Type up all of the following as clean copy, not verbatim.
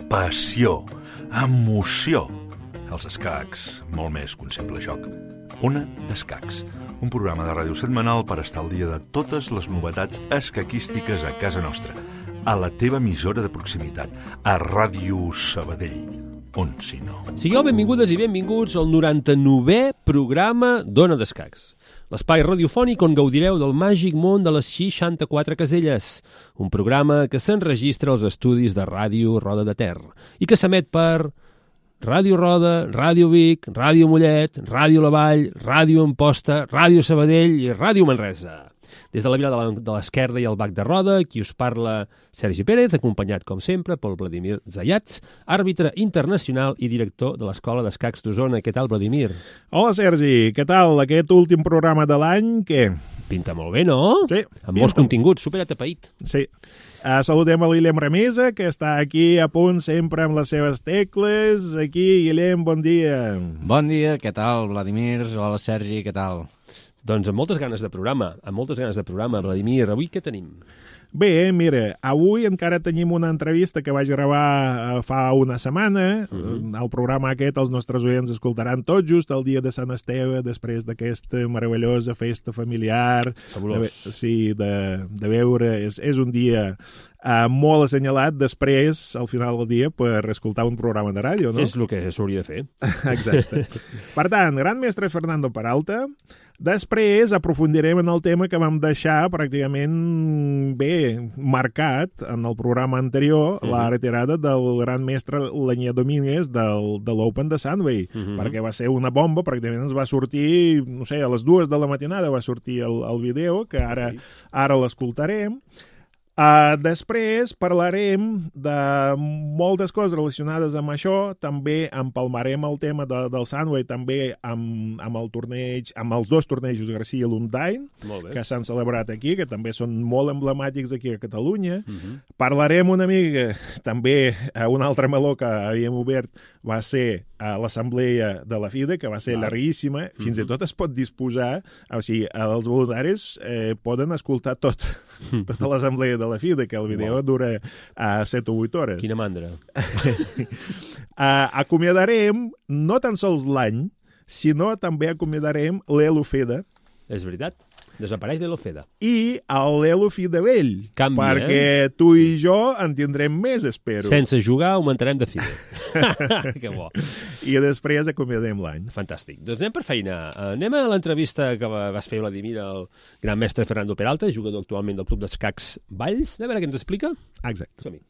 passió, emoció. Els escacs, molt més que un simple joc. Ona d'Escacs, un programa de ràdio setmanal per estar al dia de totes les novetats escaquístiques a casa nostra, a la teva emissora de proximitat, a Ràdio Sabadell. On si no. Sigueu benvingudes i benvinguts al 99è programa d'Ona d'Escacs. L'espai radiofònic on gaudireu del màgic món de les 64 caselles. Un programa que s'enregistra als estudis de Ràdio Roda de Ter i que s'emet per Ràdio Roda, Ràdio Vic, Ràdio Mollet, Ràdio La Vall, Ràdio Amposta, Ràdio Sabadell i Ràdio Manresa. Des de la Vila de l'Esquerda i el Bac de Roda, qui us parla Sergi Pérez, acompanyat, com sempre, pel Vladimir Zayats, àrbitre internacional i director de l'Escola d'Escacs d'Osona. Què tal, Vladimir? Hola, Sergi. Què tal? Aquest últim programa de l'any, què? Pinta molt bé, no? Sí. Amb molts continguts, superatapeït. Sí. Saludem a l'Guillem Ramisa, que està aquí a punt sempre amb les seves tecles. Aquí, Guillem, bon dia. Bon dia, què tal, Vladimir? Hola, Sergi, què tal? Doncs amb moltes ganes de programa, Vladimir. Avui què tenim? Bé, mira, avui encara tenim una entrevista que vaig gravar fa una setmana. El programa aquest els nostres oients escoltaran tot just el dia de Sant Esteve, després d'aquesta meravellosa festa familiar. Fabulós. De veure. És un dia molt assenyalat després, al final del dia, per escoltar un programa de ràdio, no? És el que s'hauria de fer. Exacte. Per tant, gran mestre Fernando Peralta. Després aprofundirem en el tema que vam deixar pràcticament marcat en el programa anterior, la retirada del gran mestre Lenier Domínguez de l'Open de Sandway, perquè va ser una bomba, pràcticament ens va sortir, no sé, a les 2 de la matinada va sortir el vídeo, que ara l'escoltarem. Després parlarem de moltes coses relacionades amb això, també empalmarem el tema del Sandway, també amb el torneig, amb els dos tornejos Garcia i Lundain, que s'han celebrat aquí, que també són molt emblemàtics aquí a Catalunya. Parlarem una mica, també un altre meló que havíem obert va ser l'assemblea de la FIDE, que va ser larguíssima, fins i tot es pot disposar, o sigui, els voluntaris poden escoltar tota l'assemblea de la FIDE, que el vídeo dura 7 o 8 hores. Quina mandra. Acomiadarem no tan sols l'any, sinó també acomiadarem l'Elofeda. És veritat. Desapareix l'Elofeda. I l'Elofida vell. Canvia, perquè tu i jo en tindrem més, espero. Sense jugar augmentarem de FIDE. Que bo. I després acomiadem l'any. Fantàstic. Doncs anem per feina. Anem a l'entrevista que vas fer, Vladimir, al gran mestre Fernando Peralta, jugador actualment del Club d'Escacs Valls. A veure què ens explica. Exacte. Som-hi.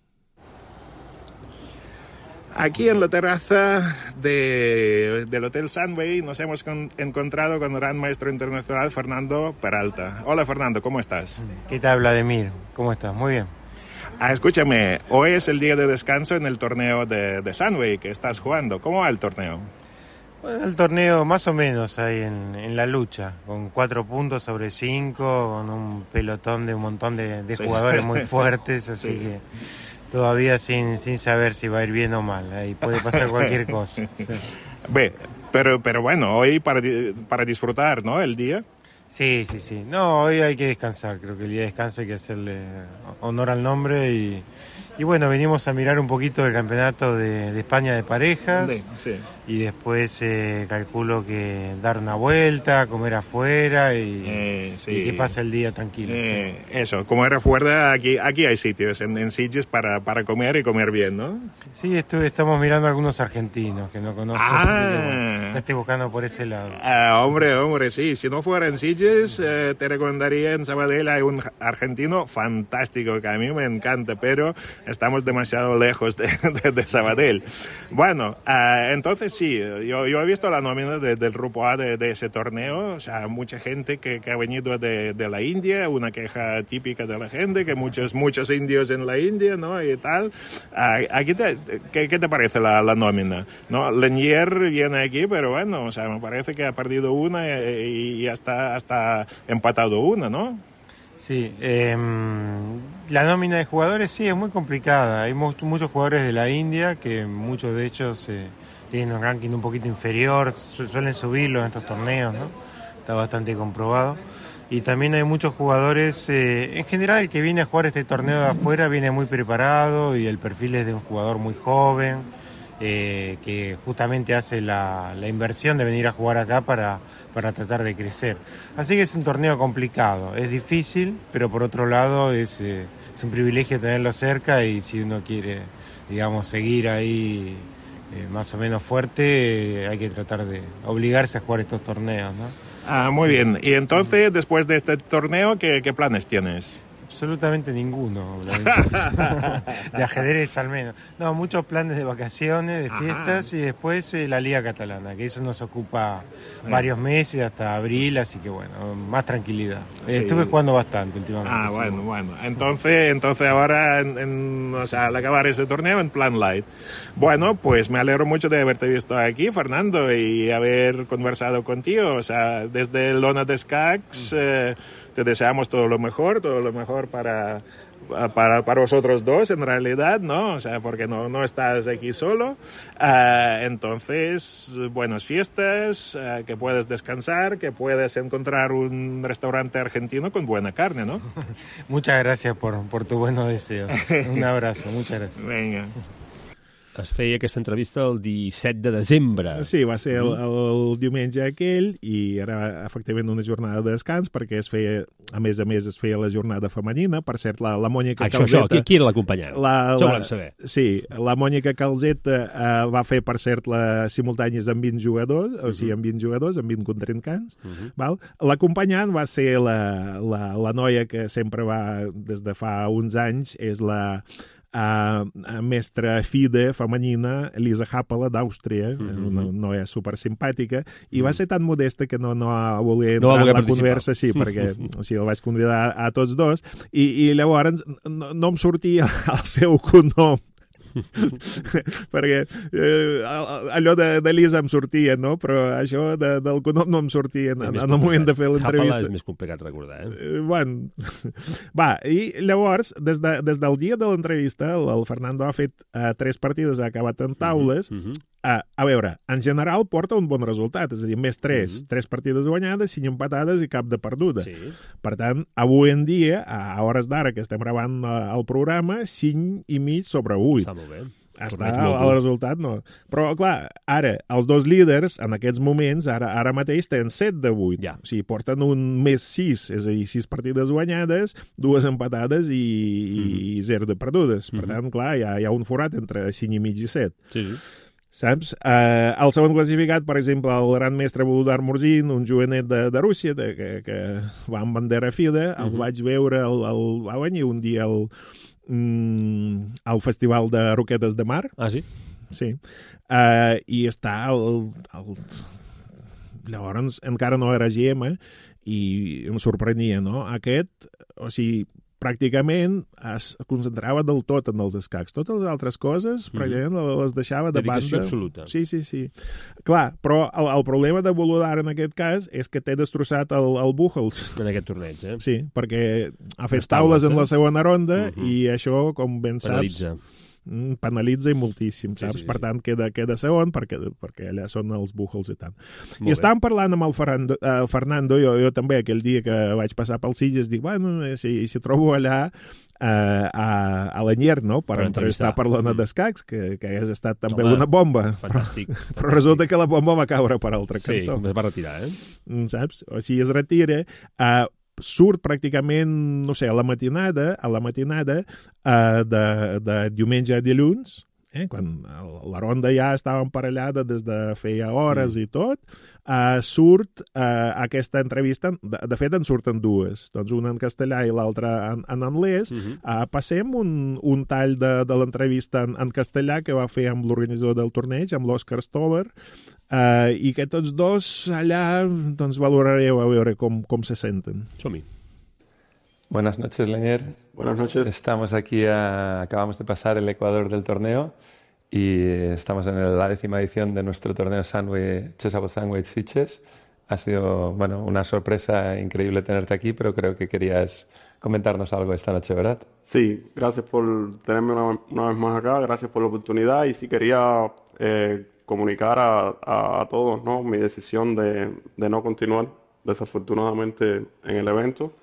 Aquí en la terraza del Hotel Sandway nos hemos encontrado con el gran maestro internacional Fernando Peralta. Hola, Fernando, ¿cómo estás? ¿Qué tal, Vladimir? ¿Cómo estás? Muy bien. Escúchame, hoy es el día de descanso en el torneo de Sandway que estás jugando. ¿Cómo va el torneo? Bueno, el torneo más o menos ahí en la lucha, con 4 puntos sobre 5, con un pelotón de un montón de jugadores muy fuertes, así que todavía sin saber si va a ir bien o mal. Ahí puede pasar cualquier cosa. Sí. Pero bueno, hoy para disfrutar, ¿no? El día. Sí. No, hoy hay que descansar. Creo que el día de descanso hay que hacerle honor al nombre y bueno, venimos a mirar un poquito el campeonato de España de parejas. Sí. Y después calculo que dar una vuelta, comer afuera y que pase el día tranquilo. Sí. Eso, comer afuera, aquí hay sitios en Sitges para comer y comer bien, ¿no? Sí, estamos mirando algunos argentinos que no conozco. Ya estoy buscando por ese lado. Hombre, sí. Si no fuera en Sitges, te recomendaría en Sabadell. Hay un argentino fantástico que a mí me encanta, pero estamos demasiado lejos de Sabadell. Bueno, entonces sí, yo he visto la nómina del grupo A de ese torneo, o sea, mucha gente que ha venido de la India, una queja típica de la gente, que muchos indios en la India, ¿no? Y tal. Aquí ¿qué te parece la nómina? ¿No? Lenier viene aquí, pero bueno, o sea, me parece que ha perdido una y hasta empatado una, ¿no? Sí, la nómina de jugadores sí es muy complicada. Hay muchos jugadores de la India que muchos de ellos tienen un ranking un poquito inferior, suelen subirlo en estos torneos, ¿no? Está bastante comprobado. Y también hay muchos jugadores, en general el que viene a jugar este torneo de afuera viene muy preparado y el perfil es de un jugador muy joven, que justamente hace la inversión de venir a jugar acá para tratar de crecer. Así que es un torneo complicado, es difícil, pero por otro lado es un privilegio tenerlo cerca y si uno quiere, digamos, seguir ahí más o menos fuerte, hay que tratar de obligarse a jugar estos torneos, ¿no? Muy bien. Y entonces, después de este torneo, ¿qué planes tienes? Absolutamente ninguno, de ajedrez al menos. No, muchos planes de vacaciones, de fiestas y después la Liga Catalana, que eso nos ocupa varios meses hasta abril, así que bueno, más tranquilidad. Sí. Estuve jugando bastante últimamente. Bueno. Entonces ahora, o sea, al acabar ese torneo, en plan light. Bueno, pues me alegro mucho de haberte visto aquí, Fernando, y haber conversado contigo. O sea, desde Lona Descacs, te deseamos todo lo mejor para vosotros dos, en realidad, ¿no? O sea, porque no estás aquí solo. Entonces, buenas fiestas, que puedas descansar, que puedas encontrar un restaurante argentino con buena carne, ¿no? Muchas gracias por tu buenos deseos. Un abrazo, muchas gracias. Venga. Es feia aquesta entrevista el 17 de desembre. Sí, va ser el diumenge aquell i era efectivament una jornada de descans perquè es feia, a més es feia la jornada femenina. Per cert, la Mònica Calzeta... Qui era l'acompanyant? Això volem saber. Sí, la Mònica Calzeta va fer, per cert, les simultànies amb 20 jugadors, o sigui, amb 20 jugadors, amb 20 contrincants. Val? L'acompanyant va ser la noia que sempre va, des de fa uns anys, és la mestra FIDE femenina, Elisa Happala, d'Àustria, una noia supersimpàtica, i va ser tan modesta que no va voler entrar en la conversa, sí, perquè el vaig convidar a tots dos, i llavors no em sortia el seu cognom, perquè allò d'Elisa em sortia, no? Però això del cognom no em sortia en el moment de fer l'entrevista. Happala és més complicat recordar, Bueno, va, i llavors, des del dia de l'entrevista, el Fernando ha fet 3 partides, ha acabat en taules. A veure, en general porta un bon resultat, és a dir, més 3 partides guanyades, 5 empatades i cap de perduda. Sí. Per tant, avui en dia, a hores d'ara que estem gravant el programa, 5,5 sobre 8. Està molt bé. Està el resultat, no. Però, clar, ara, els dos líders, en aquests moments, ara mateix tenen 7 de 8. Ja. O sigui, porten un més 6, és a dir, 6 partides guanyades, 2 empatades i 0 de perdudes. Per tant, clar, hi ha un forat entre 5,5 i 7. Sí. Saps? El segon classificat, per exemple, el gran mestre Volodar Murzin, un jovenet de Rússia, que va amb bandera FIDE, el vaig veure, va venir un dia al Festival de Roquetes de Mar. Ah, sí? Sí. I està llavors encara no era GM i em sorprenia, no? Aquest, o sigui, pràcticament es concentrava del tot en els escacs. Totes les altres coses, pràcticament les deixava de banda. Dedicació absoluta. Sí. Clar, però el problema de Volodar en aquest cas és que té destrossat el Buchholz. En aquest torneig, Sí, perquè ha fet taules en la segona ronda i això, com ben saps... penalitza i moltíssim, saps? Per tant, queda segon perquè allà són els Buchholz i tant. I estàvem parlant amb el Fernando, jo també aquell dia que vaig passar pel Sitges, dic, bueno, si trobo allà a l'Anyer, no?, per entrevistar per l'Ona d'Escacs, que hagués estat també una bomba. Fantàstic. Però resulta que la bomba va caure per altre cantó. Sí, es va retirar, Saps? O sigui, es retira... surt pràcticament, no sé, a la matinada de diumenge a dilluns, quan la ronda ja estava emparellada des de feia hores i tot, surt aquesta entrevista, de fet en surten dues, doncs una en castellà i l'altra en anglès. Passem un tall de l'entrevista en castellà que va fer amb l'organitzador del torneig, amb l'Òscar Stoller, i que tots dos allà doncs valorareu a veure com se senten. Som-hi. Buenas noches, Lenier. Buenas noches. Estamos aquí, acabamos de pasar el Ecuador del torneo y estamos en la 10ª edición de nuestro torneo Chessable Sandwich Sitges. Ha sido, bueno, una sorpresa increíble tenerte aquí, pero creo que querías comentarnos algo esta noche, ¿verdad? Sí, gracias por tenerme una vez más acá, gracias por la oportunidad y sí quería comunicar a todos, ¿no?, mi decisión de no continuar desafortunadamente en el evento.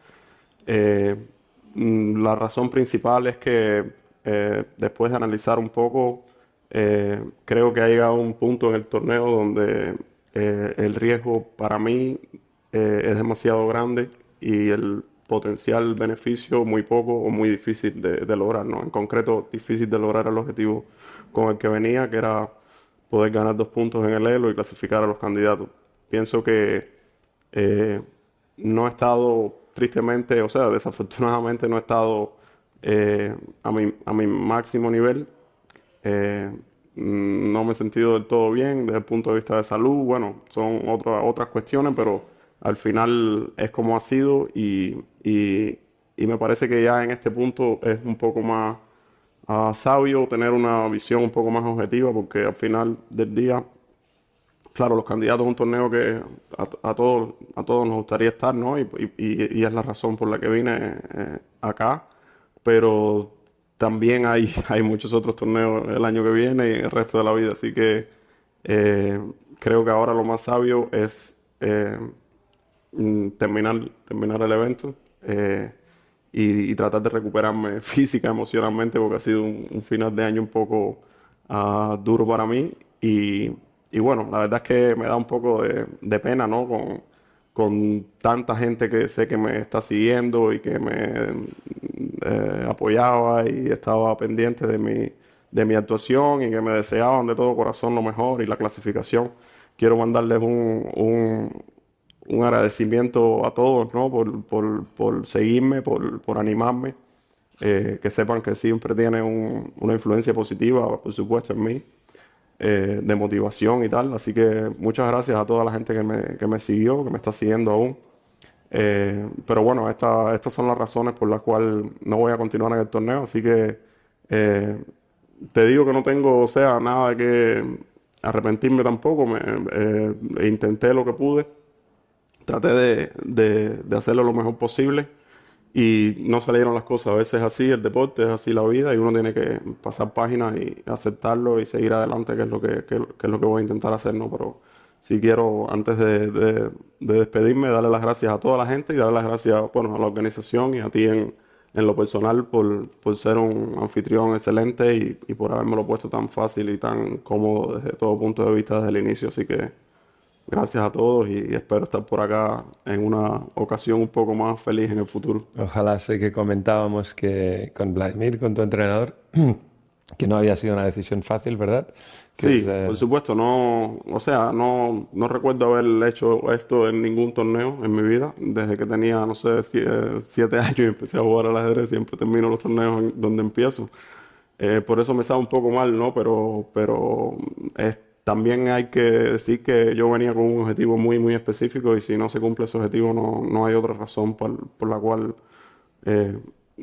La razón principal es que después de analizar un poco, creo que ha llegado un punto en el torneo donde el riesgo para mí es demasiado grande y el potencial beneficio muy poco o muy difícil de lograr, ¿no? En concreto, difícil de lograr el objetivo con el que venía, que era poder ganar 2 puntos en el Elo y clasificar a los candidatos. Pienso que no he estado, tristemente, o sea, desafortunadamente no he estado a mi máximo nivel. No me he sentido del todo bien desde el punto de vista de salud. Bueno, son otras cuestiones, pero al final es como ha sido y me parece que ya en este punto es un poco más sabio tener una visión un poco más objetiva, porque al final del día, claro, los candidatos a un torneo que a todos nos gustaría estar, ¿no? Y es la razón por la que vine acá, pero también hay muchos otros torneos el año que viene y el resto de la vida, así que creo que ahora lo más sabio es terminar el evento y tratar de recuperarme física, emocionalmente, porque ha sido un final de año un poco duro para mí y bueno, la verdad es que me da un poco de pena, ¿no? Con tanta gente que sé que me está siguiendo y que me apoyaba y estaba pendiente de mi actuación y que me deseaban de todo corazón lo mejor y la clasificación. Quiero mandarles un agradecimiento a todos, ¿no? por seguirme, por animarme, que sepan que siempre tienen una influencia positiva, por supuesto, en mí, de motivación y tal. Así que muchas gracias a toda la gente que me siguió, que me está siguiendo aún. Pero bueno, estas son las razones por las cuales no voy a continuar en el torneo. Así que te digo que no tengo, o sea, nada de que arrepentirme tampoco. Intenté lo que pude. Traté de hacerlo lo mejor posible y no salieron las cosas. A veces es así, el deporte es así, la vida, y uno tiene que pasar páginas y aceptarlo y seguir adelante, que es lo que voy a intentar hacer, ¿no? Pero sí quiero, antes de despedirme, darle las gracias a toda la gente y darle las gracias, bueno, a la organización y a ti en lo personal por ser un anfitrión excelente y por habérmelo puesto tan fácil y tan cómodo desde todo punto de vista desde el inicio. Así que gracias a todos y espero estar por acá en una ocasión un poco más feliz en el futuro. Ojalá. Sé que comentábamos que con Vladimir, con tu entrenador, que no había sido una decisión fácil, ¿verdad? Sí, por supuesto. No recuerdo haber hecho esto en ningún torneo en mi vida. Desde que tenía, no sé, 7 años y empecé a jugar al ajedrez, siempre termino los torneos donde empiezo. Por eso me sabe un poco mal, ¿no? Pero también hay que decir que yo venía con un objetivo muy, muy específico y si no se cumple ese objetivo no hay otra razón por la cual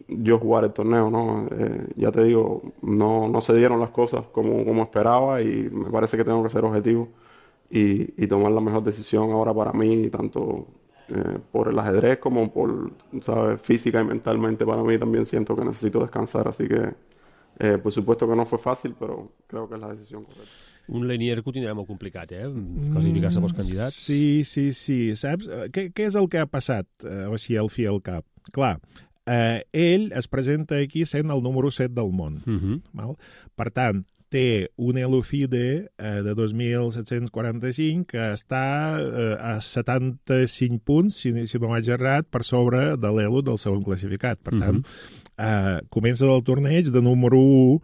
yo jugar el torneo, ¿no? Ya te digo, no se dieron las cosas como esperaba y me parece que tengo que ser objetivo y tomar la mejor decisión ahora para mí, tanto por el ajedrez como por, ¿sabes? Física y mentalmente para mí también siento que necesito descansar, así que por supuesto que no fue fàcil, però crec que és la decisió correcta. Un Lenier que ho tindrà molt complicat, classificar-se pels candidats. Sí. Saps? Què és el que ha passat, així al fi al cap? Clar, ell es presenta aquí sent el número 7 del món. Val? Per tant, té un Elo-FIDE de 2.745 que està a 75 punts, si no vaig errat, per sobre de l'Elo del segon classificat. Per tant, comença el torneig de número 1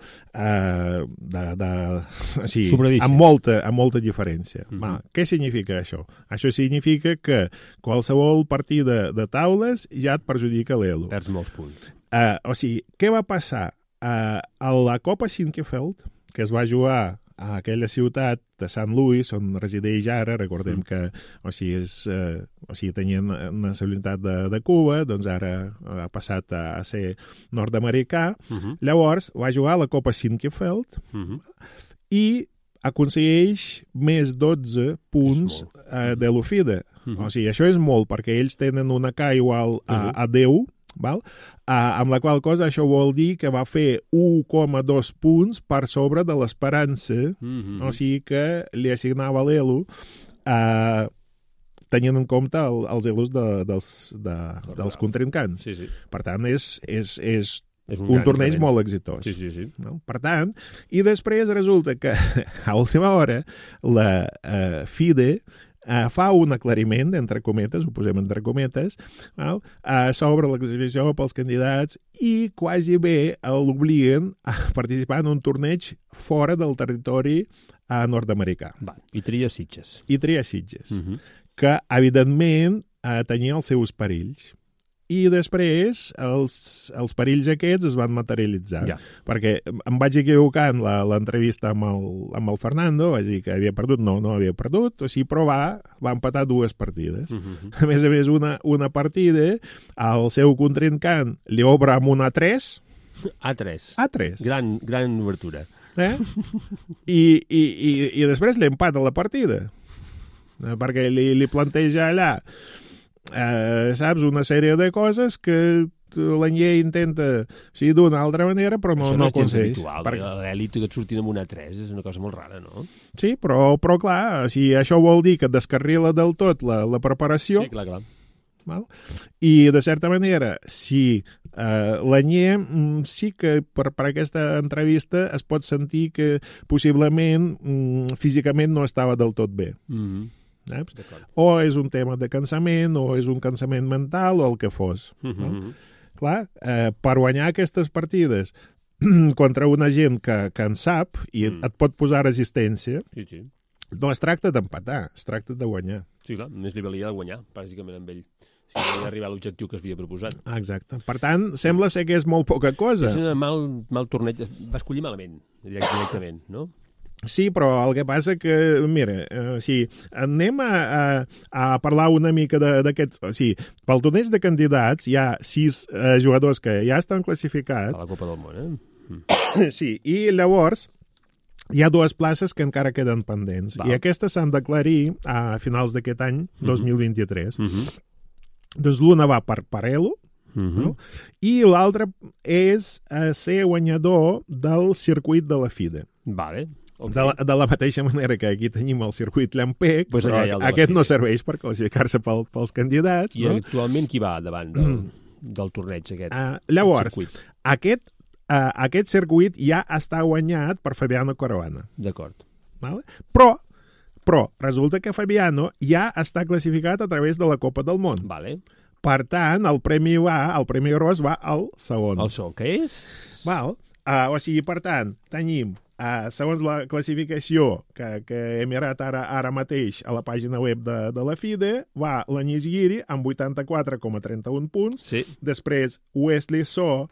amb molta diferència. Què significa això? Això significa que qualsevol partida de taules ja et perjudica l'Elo. Perds molts punts. O sigui, què va passar? A la Copa Sinquefeld, que es va jugar a aquella ciutat de St. Louis, on resideix ara, recordem que tenien nacionalitat de Cuba, doncs ara ha passat a ser nord-americà. Llavors va jugar a la Copa Sinquefeld i aconsegueix més 12 punts de l'Ofida. O sigui, això és molt, perquè ells tenen una K igual a 10, val? Amb la qual cosa això vol dir que va fer 1,2 punts per sobre de l'esperança, o sigui que li assignava l'Elo tenint en compte els elos dels contrincants. Sí, sí. Per tant, és És un torneig increment. molt exitós. Sí. No? Per tant, i després resulta que a última hora la FIDE fa un aclariment, entre cometes, ho posem entre cometes, sobre la classificació pels candidats i quasi bé l'obliguen a participar en un torneig fora del territori nord-americà. Va, i tria Sitges. I tria Sitges, que evidentment tenia els seus perills. I després els perills aquests es van materialitzar. Ja. Perquè em vaig equivocar en l'entrevista amb el Fernando, vaig dir que havia perdut, no havia perdut, o sigui, però va empatar 2 partides. A més, una partida, el seu contrincant li obre amb una 3. A3. A3. Gran obertura. I després li empata la partida. Perquè li planteja allà saps, una sèrie de coses que l'Anyé intenta d'una altra manera, però no aconsegueix. Això no és habitual, l'elit que et surtin amb una 3 és una cosa molt rara, no? Sí, però clar, si això vol dir que et descarrila del tot la preparació... Sí, clar. Val? I, de certa manera, si l'Anyé sí que per aquesta entrevista es pot sentir que possiblement físicament no estava del tot bé. O és un tema de cansament, o és un cansament mental, o el que fos. No? Clar, per guanyar aquestes partides contra una gent que en sap i et pot posar resistència, no es tracta d'empatar, es tracta de guanyar. Sí, clar, més li valia de guanyar, bàsicament, amb ell. Si no havia arribat a l'objectiu que es havia proposat. Exacte. Per tant, sembla ser que és molt poca cosa. És un mal torneig. Va escollir malament, directament, no? Sí, però el que passa que, mira, anem a parlar una mica d'aquests... Pel torneig de candidats hi ha 6 jugadors que ja estan classificats. A la Copa del Món, Sí, i llavors hi ha 2 places que encara queden pendents. I aquestes s'han d'aclarir a finals d'aquest any, 2023. Doncs l'una va per Parello, no? I l'altra és ser guanyador del circuit de la FIDE. Vale. Okay. De la mateixa manera que aquí tenim el circuit Llampec, pues però aquest no serveix per classificar-se pels candidats. I actualment qui va davant del torneig aquest? Llavors, aquest circuit ja està guanyat per Fabiano Caruana. D'acord. Vale? Però resulta que Fabiano ja està classificat a través de la Copa del Món. Vale. Per tant, el premi gros va al segon. El segon, què és? Val? Per tant, tenim segons la classificació que he mirat ara mateix a la pàgina web de la FIDE, va l'Agnès Guiri amb 84,31 punts, sí. Després Wesley So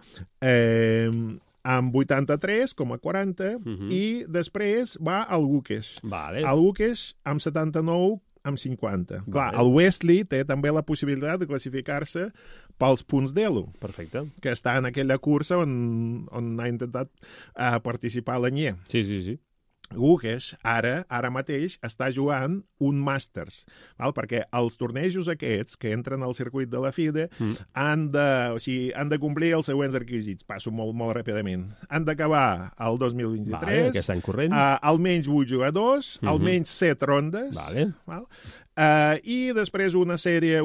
amb 83,40 i després va el Gukesh. Vale. El Gukesh amb 79,50. Clar, vale. El Wesley té també la possibilitat de classificar-se pels punts d'Elo. Perfecte. Que està en aquella cursa on ha intentat participar l'Anyé. Sí. Gukesh ara mateix està jugant un Masters, val? Perquè els tornejos aquests que entren al circuit de la FIDE han de complir els següents requisits. Passo molt ràpidament. Han d'acabar el 2023, vale, aquest any corrent. Almenys 8 jugadors, almenys 7 rondes, vale. Val? I després una sèrie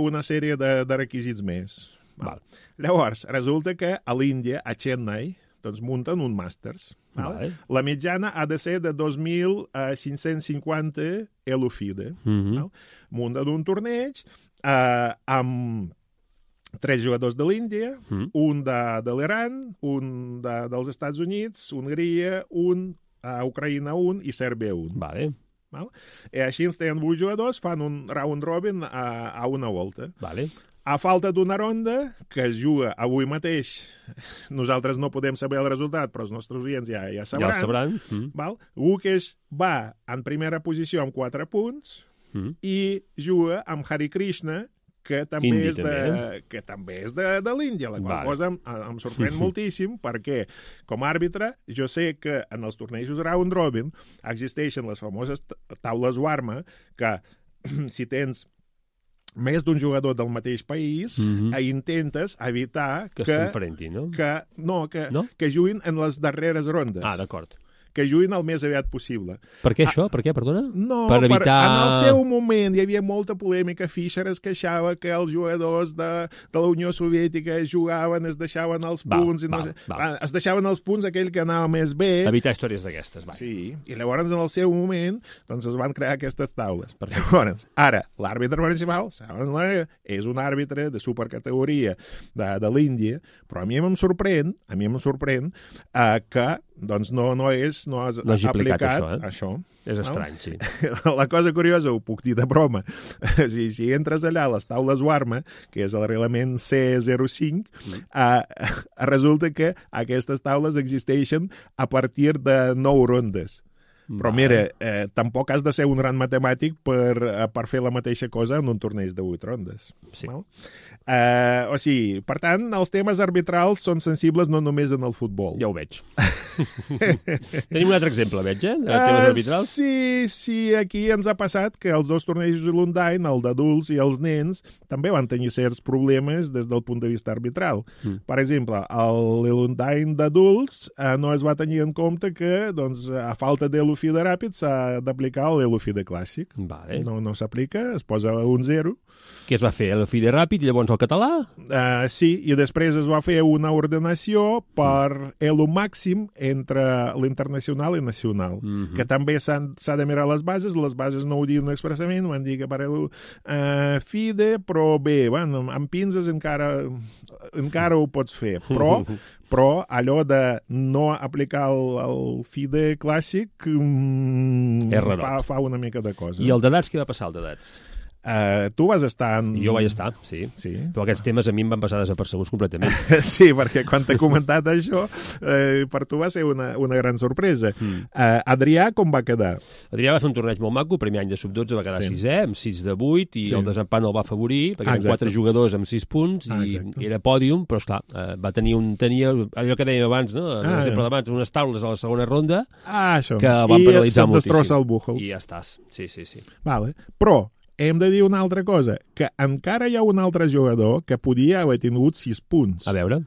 de requisits més. Val. Llavors, resulta que a l'Índia, a Chennai, doncs munten un Masters. Vale. La mitjana ha de ser de 2.550 ELO-FIDE. Munten un torneig amb 3 jugadors de l'Índia, un de l'Iran, un dels Estats Units, Hongria, Ucraïna 1 i Sèrbia 1. Vale. Val? I així ens tenen 8 jugadors, fan un round robin a una volta. Vale. A falta d'una ronda, que es juga avui mateix, nosaltres no podem saber el resultat, però els nostres oients ja sabran. Ja el sabran. Val? Gukesh va en primera posició amb 4 punts i juga amb Hari Krishna, que també és de l'Índia, la qual cosa em sorprèn moltíssim, perquè com a àrbitre jo sé que en els tornejos round robin existeixen les famoses taules Warma, que si tens més d'un jugador del mateix país, intentes evitar que s'enfrentin, no? Que juguin en les darreres rondes. D'acord. que juguin el més aviat possible. Per què això? Per què, perdona? No, per evitar... en el seu moment hi havia molta polèmica. Fischer es queixava que els jugadors de la Unió Soviètica jugaven, es deixaven els punts... Es deixaven els punts aquell que anava més bé. Evitar històries d'aquestes, va. Sí, i llavors en el seu moment doncs es van crear aquestes taules. Llavors, ara, l'àrbitre principal, és un àrbitre de supercategoria de l'Índia, però a mi em sorprèn que doncs no has aplicat això. És estrany, sí. La cosa curiosa, ho puc dir de broma, si entres allà a les taules Warma, que és el reglament C05, resulta que aquestes taules existeixen a partir de 9 rondes. Però mira, tampoc has de ser un gran matemàtic per fer la mateixa cosa en un torneig de 8 rondes. Sí. No? O sigui, per tant, els temes arbitrals són sensibles no només en el futbol. Ja ho veig. Tenim un altre exemple, veig, de temes arbitrals? Sí, aquí ens ha passat que els dos tornejos de l'Undain, el d'adults i els nens, també van tenir certs problemes des del punt de vista arbitral. Per exemple, l'Undain d'adults no es va tenir en compte que, doncs, a falta de l'UFI de ràpid s'ha d'aplicar l'UFI de clàssic. Vale. No s'aplica, es posa un 0. Què es va fer? L'UFI de ràpid i llavors el català? Sí, i després es va fer una ordenació per elo màxim entre l'internacional i nacional, que també s'ha de mirar les bases no ho diuen expressament, van dir que per elo FIDE, però bé, bueno, amb pinces encara ho pots fer, però allò de no aplicar el FIDE clàssic fa una mica de cosa. I el d'edats, què va passar, el d'edats? Tu vas estar en... Jo vaig estar, sí. Però aquests temes a mi em van passar desapercebuts completament. Sí, perquè quan t'he comentat això, per tu va ser una gran sorpresa. Adrià, com va quedar? Adrià va fer un torneig molt maco, primer any de sub-12 va quedar 6è, amb 6 de 8, i el desempat el va afavorir, perquè eren 4 jugadors amb 6 punts, i era pòdium, però esclar, va tenir allò que dèiem abans, no? L'exemple d'abans, unes taules a la segona ronda, que van penalitzar moltíssim. I se't destrossa el Buchholz. I ja estàs, sí. Vale. Però hem de dir una altra cosa, que encara hi ha un altre jugador que podia haver tingut 6 punts. A veure.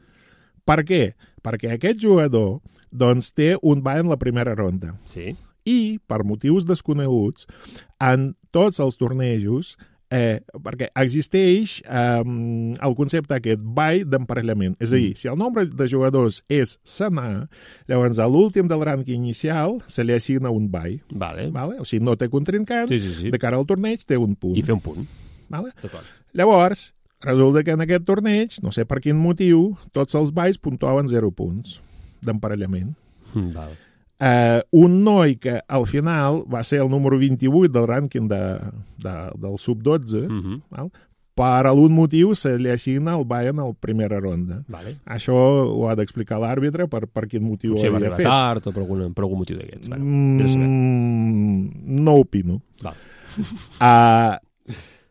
Per què? Perquè aquest jugador doncs, té un ball en la primera ronda. Sí. I, per motius desconeguts, en tots els tornejos, perquè existeix el concepte aquest ball d'emparellament. És a dir, si el nombre de jugadors és senar, llavors a l'últim del rànquing inicial se li assigna un ball. Vale. O sigui, no té contrincant, de cara al torneig té un punt. I fer un punt. Vale? Llavors, resulta que en aquest torneig, no sé per quin motiu, tots els balls puntuaven 0 punts d'emparellament. Vale. Un noi que al final va ser el número 28 del rànquing del sub-12, per algun motiu se li assigna el ball en la primera ronda. Vale. Això ho ha d'explicar l'àrbitre per quin motiu ho havia fet. Potser va arribar tard o per algun motiu d'aquests. No opino.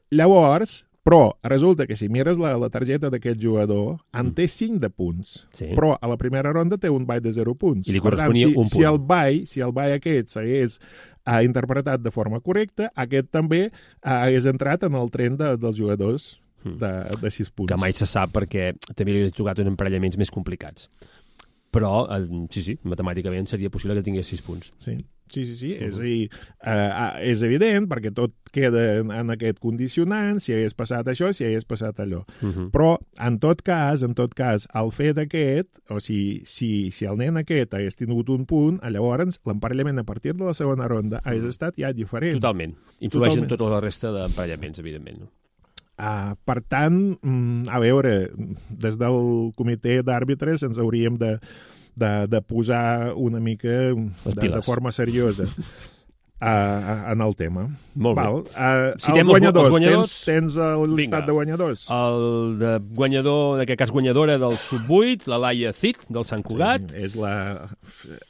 Llavors, però resulta que si mires la targeta d'aquest jugador, en té 5 de punts, però a la primera ronda té un ball de 0 punts. I li corresponia un punt. Si el ball aquest s'hagués interpretat de forma correcta, aquest també hagués entrat en el tren dels jugadors de 6 punts. Que mai se sap perquè també li he jugat en emparellaments més complicats. Però, sí, matemàticament seria possible que tingués 6 punts. Sí. És a dir, és evident, perquè tot queda en aquest condicionant, si hagués passat això, si hagués passat allò. Però, en tot cas, el fet aquest, o sigui, si el nen aquest hagués tingut un punt, llavors l'emparellament a partir de la segona ronda hagués estat ja diferent. Totalment. Influeix en tota la resta d'emparellaments, evidentment, no? Per tant, a veure, des del comitè d'àrbitres ens hauríem de posar una mica de forma seriosa en el tema. Molt bé. Els guanyadors. Tens el llistat de guanyadors. El de guanyador, en aquest cas guanyadora del sub-8, la Laia Cid, del Sant Cugat.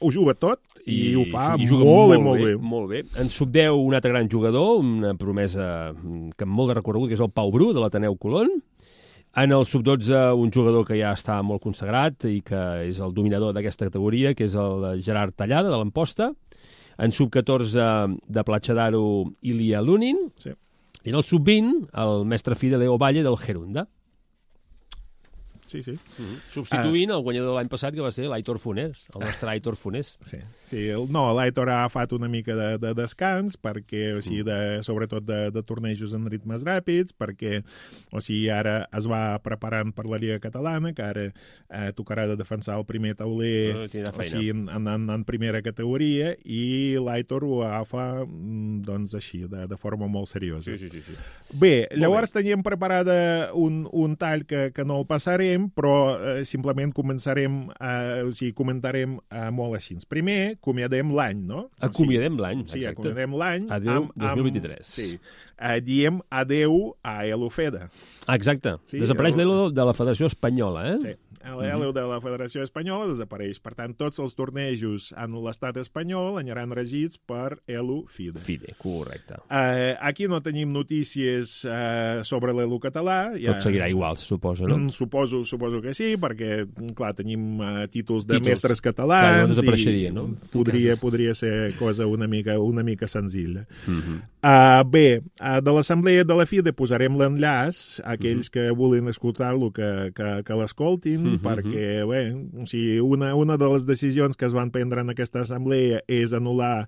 Ho juga tot i ho fa molt bé. En sub-10, un altre gran jugador, una promesa que amb molt de recorregut, que és el Pau Bru, de l'Ateneu Colón. En el sub-12, un jugador que ja està molt consagrat i que és el dominador d'aquesta categoria, que és el Gerard Tallada, de l'Amposta. En sub-14, de Platja d'Aro, Ilia Lunin. Sí. I en el sub-20, el mestre fi de Leo Valle, del Gerunda. Substituint el guanyador de l'any passat, que va ser l'Aitor Funès, el nostre Aitor Funès. Sí, l'Aitor ha agafat una mica de descans, perquè, o sigui, sobretot de tornejos en ritmes ràpids, perquè, o sigui, ara es va preparant per la Lliga Catalana, que ara tocarà de defensar el primer tauler, o sigui, en primera categoria, i l'Aitor ho agafa, doncs, així, de forma molt seriosa. Sí. Bé, llavors teníem preparada un tall que no el passarem, però simplement comentarem molt així. Primer, acomiadem l'any, no? Acomiadem l'any, exacte. Sí, acomiadem l'any. Adéu 2023. Sí. Diem adéu a Elufeda. Exacte. Sí, desapareix l'Elo de la Federació Espanyola, eh? Sí. L'Elo de la Federació Espanyola desapareix. Per tant, tots els tornejos en l'estat espanyol aniran regits per Elufida. FIDE, correcte. Aquí no tenim notícies sobre l'Elo català. Tot seguirà igual, se suposa, no? Suposo que sí, perquè, clar, tenim títols de mestres catalans. Clar, no desapareixeria, no? Podria ser cosa una mica senzilla. Bé, de l'assemblea de la FIDE posarem l'enllaç a aquells que vulguin escoltar-lo, que l'escoltin, perquè, bé, o sigui, una de les decisions que es van prendre en aquesta assemblea és anul·lar,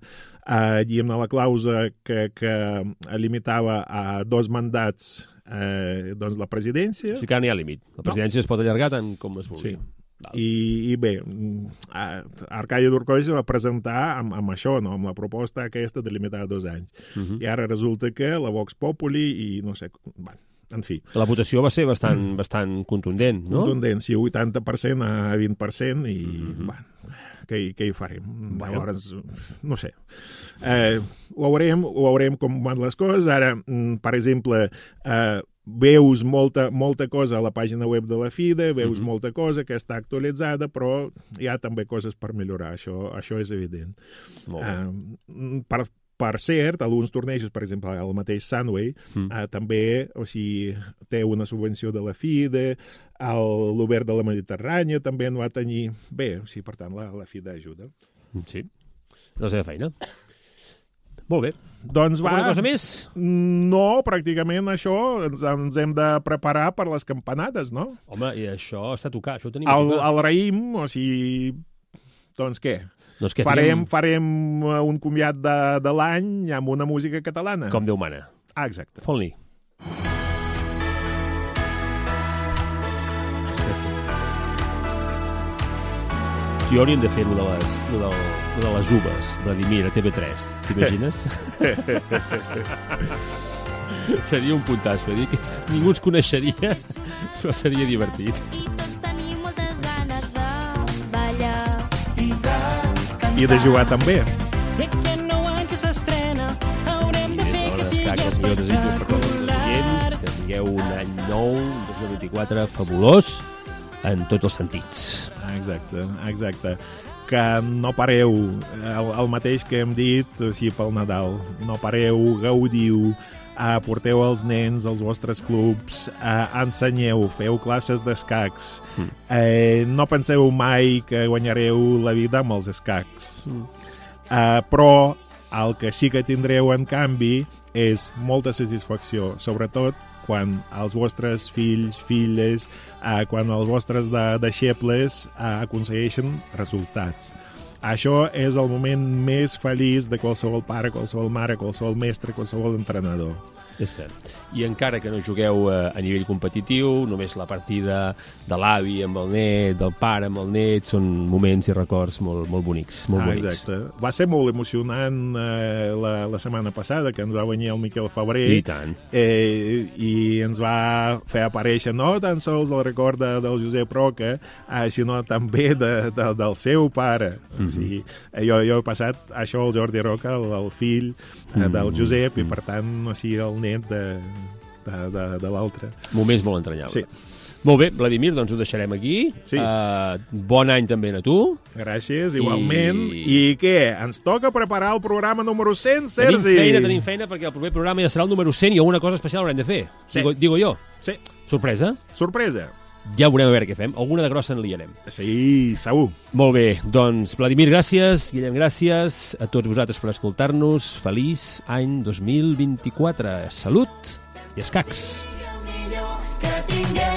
diguem-ne, la clàusula que limitava a 2 mandats doncs la presidència. O sigui que no hi ha límit. La presidència es pot allargar tant com es vulgui. Sí. I bé, Arcadi Durcoll va presentar amb això, no? Amb la proposta aquesta de limitar a 2 anys. I ara resulta que la Vox Populi i no sé... En fi. La votació va ser bastant contundent, no? Contundent, sí, 80% a 20%, i, bueno, què hi farem? Llavors, no sé. Ho veurem com van les coses. Ara, per exemple, veus molta cosa a la pàgina web de la FIDE, veus molta cosa que està actualitzada, però hi ha també coses per millorar, això és evident. Per cert, alguns tornejos, per exemple, el mateix Sunway, també, o sigui, té una subvenció de la FIDE, l'Obert de la Mediterrània també en va tenir. Bé, o sigui, per tant, la FIDE ajuda. Sí, la seva feina. Molt bé. Doncs va... Alguna cosa més? No, pràcticament això ens hem de preparar per les campanades, no? Home, i això està a tocar, això ho tenim a tocar. El raïm, o sigui... Doncs què? Doncs què farem un comiat de l'any amb una música catalana. Com Déu mana. Exacte. Fon-li. Jo hauríem de fer lo de les uves, Vladimir, a TV3. T'imagines? Seria un puntasso, dir que ningú ens coneixeria, però seria divertit. I de jugar també. Que jo desitjo per tots els oients que tingueu un any nou, un 2024 fabulós en tots els sentits. Exacte. Que no pareu el mateix que hem dit, o sigui, pel Nadal. No pareu, gaudiu, porteu els nens als vostres clubs, ensenyeu, feu classes d'escacs. No penseu mai que guanyareu la vida amb els escacs. Però el que sí que tindreu, en canvi, és molta satisfacció, sobretot quan els vostres fills, filles, quan els vostres deixebles aconsegueixen resultats. Això és el moment més feliç de qualsevol pare, qualsevol mare, qualsevol mestre, qualsevol entrenador. És cert. I encara que no jugueu a nivell competitiu, només la partida de l'avi amb el net, del pare amb el net, són moments i records molt bonics. Molt bonics. Exacte. Va ser molt emocionant la setmana passada, que ens va venir el Miquel Febrer. I tant. I ens va fer aparèixer no tan sols el record del Josep Roca, sinó també del seu pare. O sigui, jo he passat això al Jordi Roca, el fill del Josep, i per tant, o sigui, el net de l'altre. Moments molt entranyables. Sí. Molt bé, Vladimir, doncs ho deixarem aquí. Sí. Bon any també a tu. Gràcies, igualment. I què? Ens toca preparar el programa número 100, Sergi? Tenim feina, perquè el proper programa ja serà el número 100 i alguna cosa especial haurem de fer. Sí. Digo jo. Sí. Sorpresa? Sorpresa. Ja veurem a veure què fem. Alguna de grossa en liarem. Sí, segur. Molt bé, doncs, Vladimir, gràcies. Guillem, gràcies. A tots vosaltres per escoltar-nos. Feliç any 2024. Salut i escacs. Que tinguem